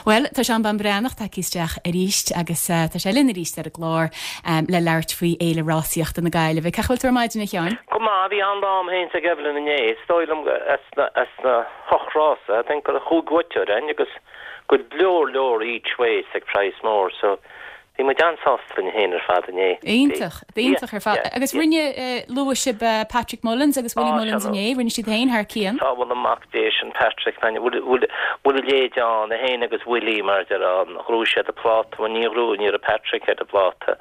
Bhuel, tá Seán Bán Breathnach tagtha isteach arís agus tá sé linn arís ar an gclár le labhairt faoi Fhéile Rásaíochta na Gaillimhe. Cén chaoi a bhfuil tú ar maidin, a Sheáin? Go maith, bhí an-lá a'm féin 's ag Evelyn inné. Is dóigh liom as na as na hocht rása, I think go raibh chúig bhuaiteoir a'inn agus go leor leor each ways ag praghas mór so Bhí muid an-sásta linn féin ar fad inné. Iontach, iontach ar fad. Agus rinne, luaigh sibh Patrick Mullins agus Willie Mullins inné, rinne siad féin thar cionn. Sábhála mac Dé sin Patrick, man, bhfuil a leithéid ann, é féin agus Willie mar a déarfá, ghnóthaigh siad an pláta, bhuel ní ghnóthaigh, ní raibh Patrick ar an bpláta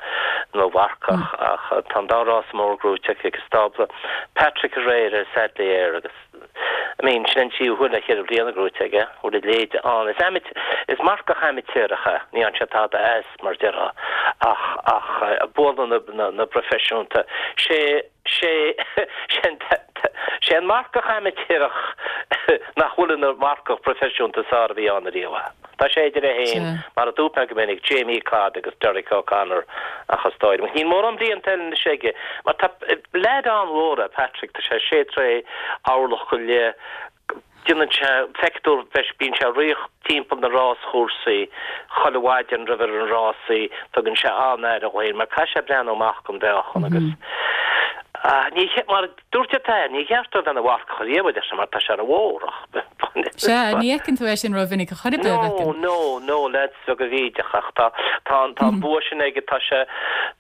nó mharcach ach tá an dá rás mór gnóite acu ag an stábla. Patrick aréir ar Sadly Air agus. I mean, sin an tríú huair le cheithre bliana gnóite aige, bhfuil a leithéid ann. Is amait, is marcach amaitéarach é, ní fhaigheann sé tada as, mar a déarfá, ach, ach bualann na, na, na bproifisiúnta. Sé, sé, sé an, sé an marcach amaitéarach nach bhfuil ina mharcach proifisiúnta is fearr a bhí ann ariamh é. Tá sé idir é féin, mar a dúirt mé go minic, Jamie Codd agus Derek O'Connor ach is dóigh liom, níl mórán blianta eile anois aige, mar tá leaid an-mhór é Patrick, tá sé sé troigh, orlach go leith, déanann sé, feictear, bíonn sé ag ritheacht timpeall na ráschúrsaí chuile mhaidin roimh ar an rásaí, tugann sé an-aire dhó féin mar caithfidh sé breathnú amach don mheáchan agus ní, mar. Dúirt a athair, Ní cheart dó bheith ina mharcach ariamh, a deir sé, mar tá sé ró-mhór ach. Sea, ní fheiceann tú é sin rómhinic a chor ar bith, a bhfeiceann. No, no, no, leaids bheaga bhídeacha, ach tá, tá an, tá an bua sin aige, tá sé,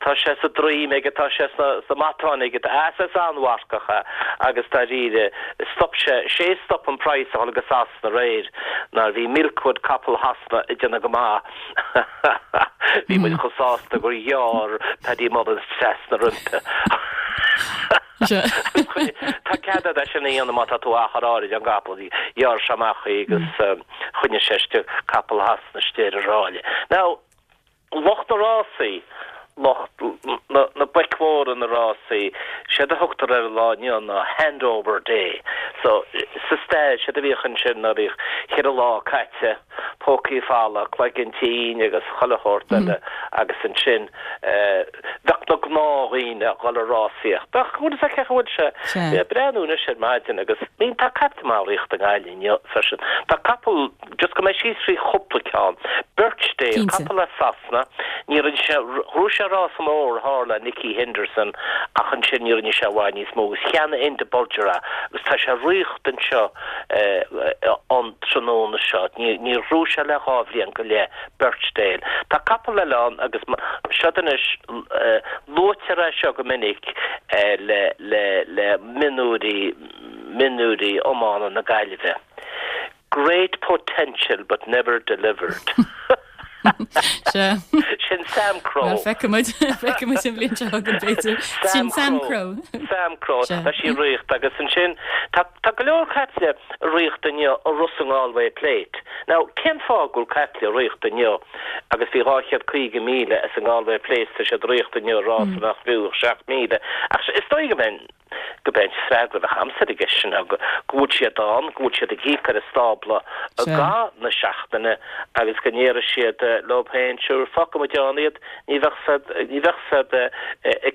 tá sé sa droim aige, tá sé sna, sna matáin aige, tá, is an-mharcach é agus dáiríre, stop sé, sé a stop an praghas a dhul go Sasana aréir, nuair bhí Milkwood, capall Shasana, ag déanamh go maith. Bhí muid chomh sásta gur ghearr Paddy Mullins trasna roimpi. Tá cead agat é sin a dhéanamh má tá tú achar áirid ón gcapall. Ghearr sé amach í agus choinnigh sé istigh capall Shasana istigh ar an ráille. Now, lucht na rásaí, lucht na boic mhóra na rásaí, séard a thugtar ar an lá inniu ná handover day. So, sa stair, séard a bhíodh ansin ná bhíodh cheithre lá caite, pócaí fola, cloigeann tinn agus chuile shórt eile agus ansin bheadh na gnáthdhaoine ag dul ag rásaíocht. Ach bhfuil fhios agat cén chaoi a bhfuil sé? Bhí ag breathnú anois ar maidin agus I mean tá caiple maith ag ritheacht i nGaillimh inniu freisin. Tá capall, just gabhfaidh mé síos trí chúpla ceann, Birchdale, capall as Sasana, ní rinne sé, ghnóthaigh sé rása mór thall le Nicky Henderson ach ansin ní rinne sé i bhfad níos mó agus cheannaigh Enda Bolger é agus tá sé ag ritheacht anseo an tráthnóna seo. Níor ghnóthaigh sé le 2 bhliain go leith, Birchdale. Tá capall eile ann agus seod anois, luaitear é seo go minic le le mionúirí, mionúirí iomána na Gaillimhe. Great potential but never delivered. Sea. Sin Samcro. Bhuel, feicfidh muid, feicfidh muid an bhliain seo chugainn, b'fhéidir. Sin Samcro. Samcro. Tá sí ag ritheacht agus ansin tá, tá go leor caiple ag ritheacht inniu i Ros an Galway Plate. Now, cén fáth go bhfuil caiple ag ritheacht inniu agus bhí 250,000 as an Galway Plate, tá siad ag ritheacht inniu i rás nach fiú ach 7,000. Ach is dóigh go mbeinn, Go b'é an freagra a bheadh a'msa ar an gceist sin ná go bhfuil siad ann, go bhfuil siad ag íoc ar an stábla i gcaitheamh na seachtaine agus go ndéarfaidh siad leo féin, sure, fágfaidh muid ann iad, ní bheadh 's ní bheadh 's a'd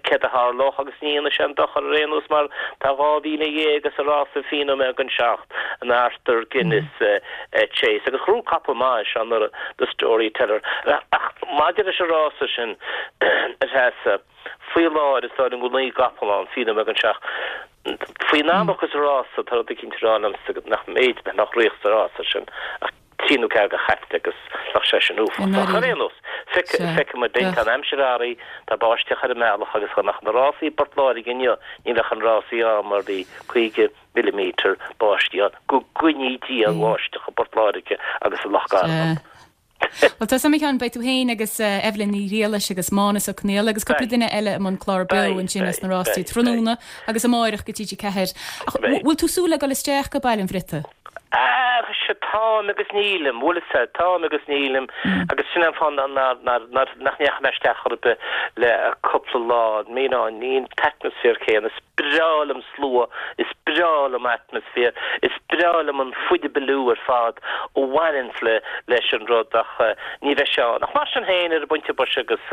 céard a tharlódh agus ní dhéanfaidh sé aon dochar ar aon nós mar tá 12,000 sa rás faoi nóiméad don seacht, an Arthur Guinness Chase agus ghnóthaigh capall maith é seo anuraidh, The Storyteller. Ach maidir leis an rása sin, a Threasa, Faoi láthair is dóigh liom go bhfuil 9 gcapall ann, faoi nóiméad don seacht. Faoin am a thiocfas an rása, tá rud eicínt ag rá liomsa nach mb'fhéidir nach mbeadh ag ritheacht sa rása sin ach trí nó ceathair de chaiple agus bheadh sé sin uafásach. Ach ar aon nós, feicfidh muid linn, tá an aimsir athraithe, tá báisteach ar an mbealach agus dá mbeadh na rásaí i bPort Láirge inniu, ní bheadh an rásaí ann mar bhí 50 millimetre báistí ann. Go gcoinní Dia an bháisteach i bPort Láirge agus i Loch Garman. Bhuel, tá suim agam, beidh tú féin agus Evelyn Ní Ghriallais agus Mánas Ó Conghaile agus cúpla duine eile i mbun clár beo ansin as na rástaí tráthnóna agus amáireach go TG4. Ach bhfuil tú súil le dul isteach go Baile an Bhriotaigh? Ah, sea, táim agus nílim, bhfuil fhios a'd, táim agus nílim agus. Sin an fáth nach ndeachaigh mé isteach chor ar bith le cúpla lá. You know, ní an t-atmaisféar céanna. Is breá liom slua, is breá liom atmaisféar, is breá liom an fuidebiliú ar fad a bhaineanns le leis an rud ach ní bheidh sé ann. Ach mar sin féin, ar an bpointe boise agus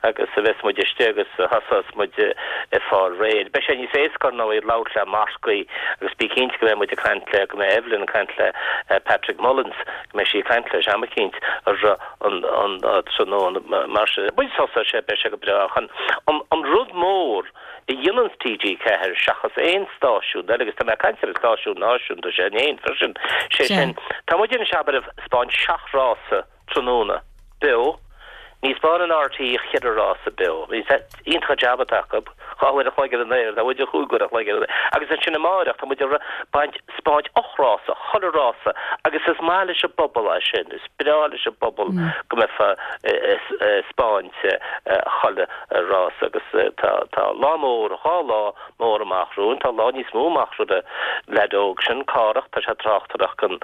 agus a bheas muid istigh agus thosós muid ag fáil réidh. Beidh sé níos éasca ar ndóigh labhairt le Marcaí agus bí cinnte go mbeidh muid ag caint le, go mbeidh Evelyn ag caint le Patrick Mullins, go mbeidh sí ag caint leis am eicínt ar an an tráthnóna mar sin. Muid tosóidh sé, beidh sé go breá ach an an rud mór a dhéananns TG4 seachas aon stáisiún eile, agus tá mé ag caint ar an stáisiún náisiúnta sin féin freisin, sé sin, tá muid anois abair ag 'spáint seacht rása tráthnóna beo, ní 'spáineann RTÉ ach cheithre rása beo, iontach an jab atá acu, 2 uair a chloig ar an aer, tá muid 5 uair a chloig ar an aer, agus ansin amáireach tá muid ag baint, 'spáint ocht rása, chuile rása, agus is maith leis an bpobal é sin, is breá leis an bpobal go mbeifeá ag 'spáint chuile rás agus tá tá lá mór, 2 lá mór amach romhainn, tá lá níos mó amach roimh an leaid óg sin, Cárthach, tá sé ag tráchtaireacht don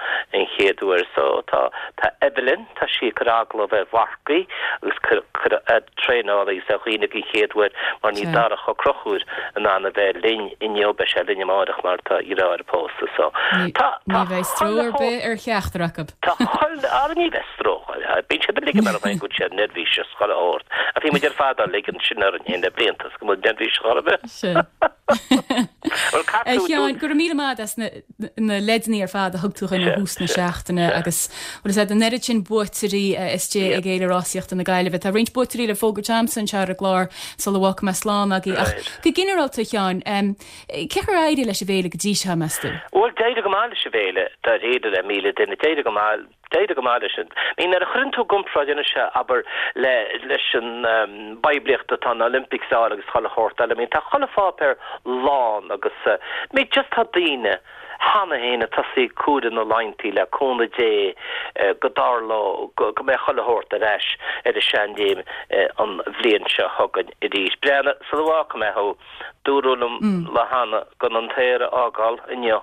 chéad uair so tá tá Evelyn, tá sí ag cur agallamh ar Mharcaí agus cur cur ar traenálaí agus ar dhaoine don chéad uair mar níl Darach Ó Conchúir in ann a bheith linn inniu, beidh sé linn amáireach mar tá a dheartháir ag pósadh so tá tá Ní bheidh stró ar bith ar cheachtar acu. Tá chuile, ara ní bheidh stró, bíonn siad uilig ag mar go bhfuil siad neirbhíseach. Chuile shórt. Ach bhí muid ar fad á ligean sin orainn féin le blianta is go bhfuil neirbhíseach chor ar bith. Sin. Bhuel, caith tú, A Sheáin, go raibh míle maith as na na leideanna ar fad a thug tú chugainn ó thús na seachtaine agus bhuel is ea an oiread sin buaiteoirí istigh ag Fhéile Rásaíochta na Gaillimhe. Tá roinnt buaiteoirí le fógairt a'msa anseo ar an gclár sula bhfágfaidh mé slán agaibh. Ach go ginearálta, a Sheáin, cé chaoi ar éirigh leis an bhféile go dtí seo, meas tú? Bhuel, d'éirigh go maith leis an bhféile, dáiríre le 1,000 duine, d'éirigh go maith. D'éirigh go maith leis an. I mean, nuair a chuireann tú i gcomparáid anois é, abair, le, leis an bpoiblíocht atá na Olympics a fháil agus chuile shórt eile, I mean, tá chuile pháipéar lán agus, I mean, just tá daoine cheana féin ag tosaí ag comhaireamh na laethanta le cúnamh Dé go dtarlódh, go, go mbeidh chuile shórt ar ais ar an seanchéim an bhliain seo chugainn arís. Breathnaigh, sula bhfágfaidh mé thú, Dúradh liom lá cheana gan an t-aer a fhágáil inniu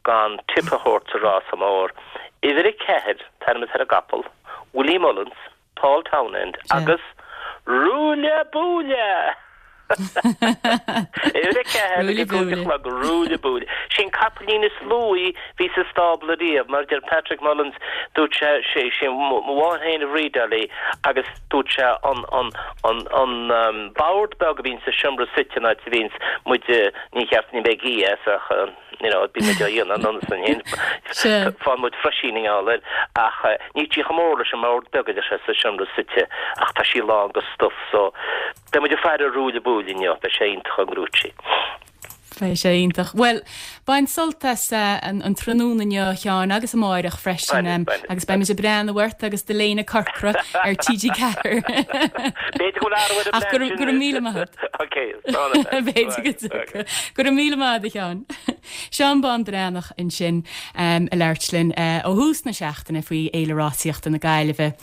gan tip a thabhairt sa rása mór. Uimhir 4, an t-ainm atá ar an gcapall, Willie Mullins, Paul Townend agus Roula Boula! Uimhir 4 ag a 5 a chlog, Roula Boula. Sin capaillín is luaí bhí sa stábla riamh, mar a deir Patrick Mullins, dúirt sé, sé, sé mo mháthair féin a bhreedáil í agus dúirt sé an, an, an, an bord beag a bhíonn sa seomra suite an áit a bhíonns muid, ní cheart, ní bheidh gí as ach, you know, bíonn muid á dhéanamh anonn is ansin, faigheann muid froisín i ngeall air ach níl sí chomh mór leis an mbord beag a deir sé sa seomra suite ach tá sí lán go stuif so beidh muid ag faire ar Roula Boula inniu, beidh sé iontach an ngnóthaí. Beidh sé iontach. Bhuel, bain sult as an tráthnóna inniu, a Sheáin, agus amáireach freisin, agus beimid ag breathnú ort agus do léine corcra ar TG4. B'fhéidir go bhfuil athrú ar an Ach go raibh míle maith agat. Ok, slán. B'fhéidir go dtiocfaidh. Go raibh míle maith agat, a Sheáin. Seán Bán Breathnach ansin ag labhairt linn ó thús na seachtaine faoi Fhéile Rásaíochta na Gaillimhe.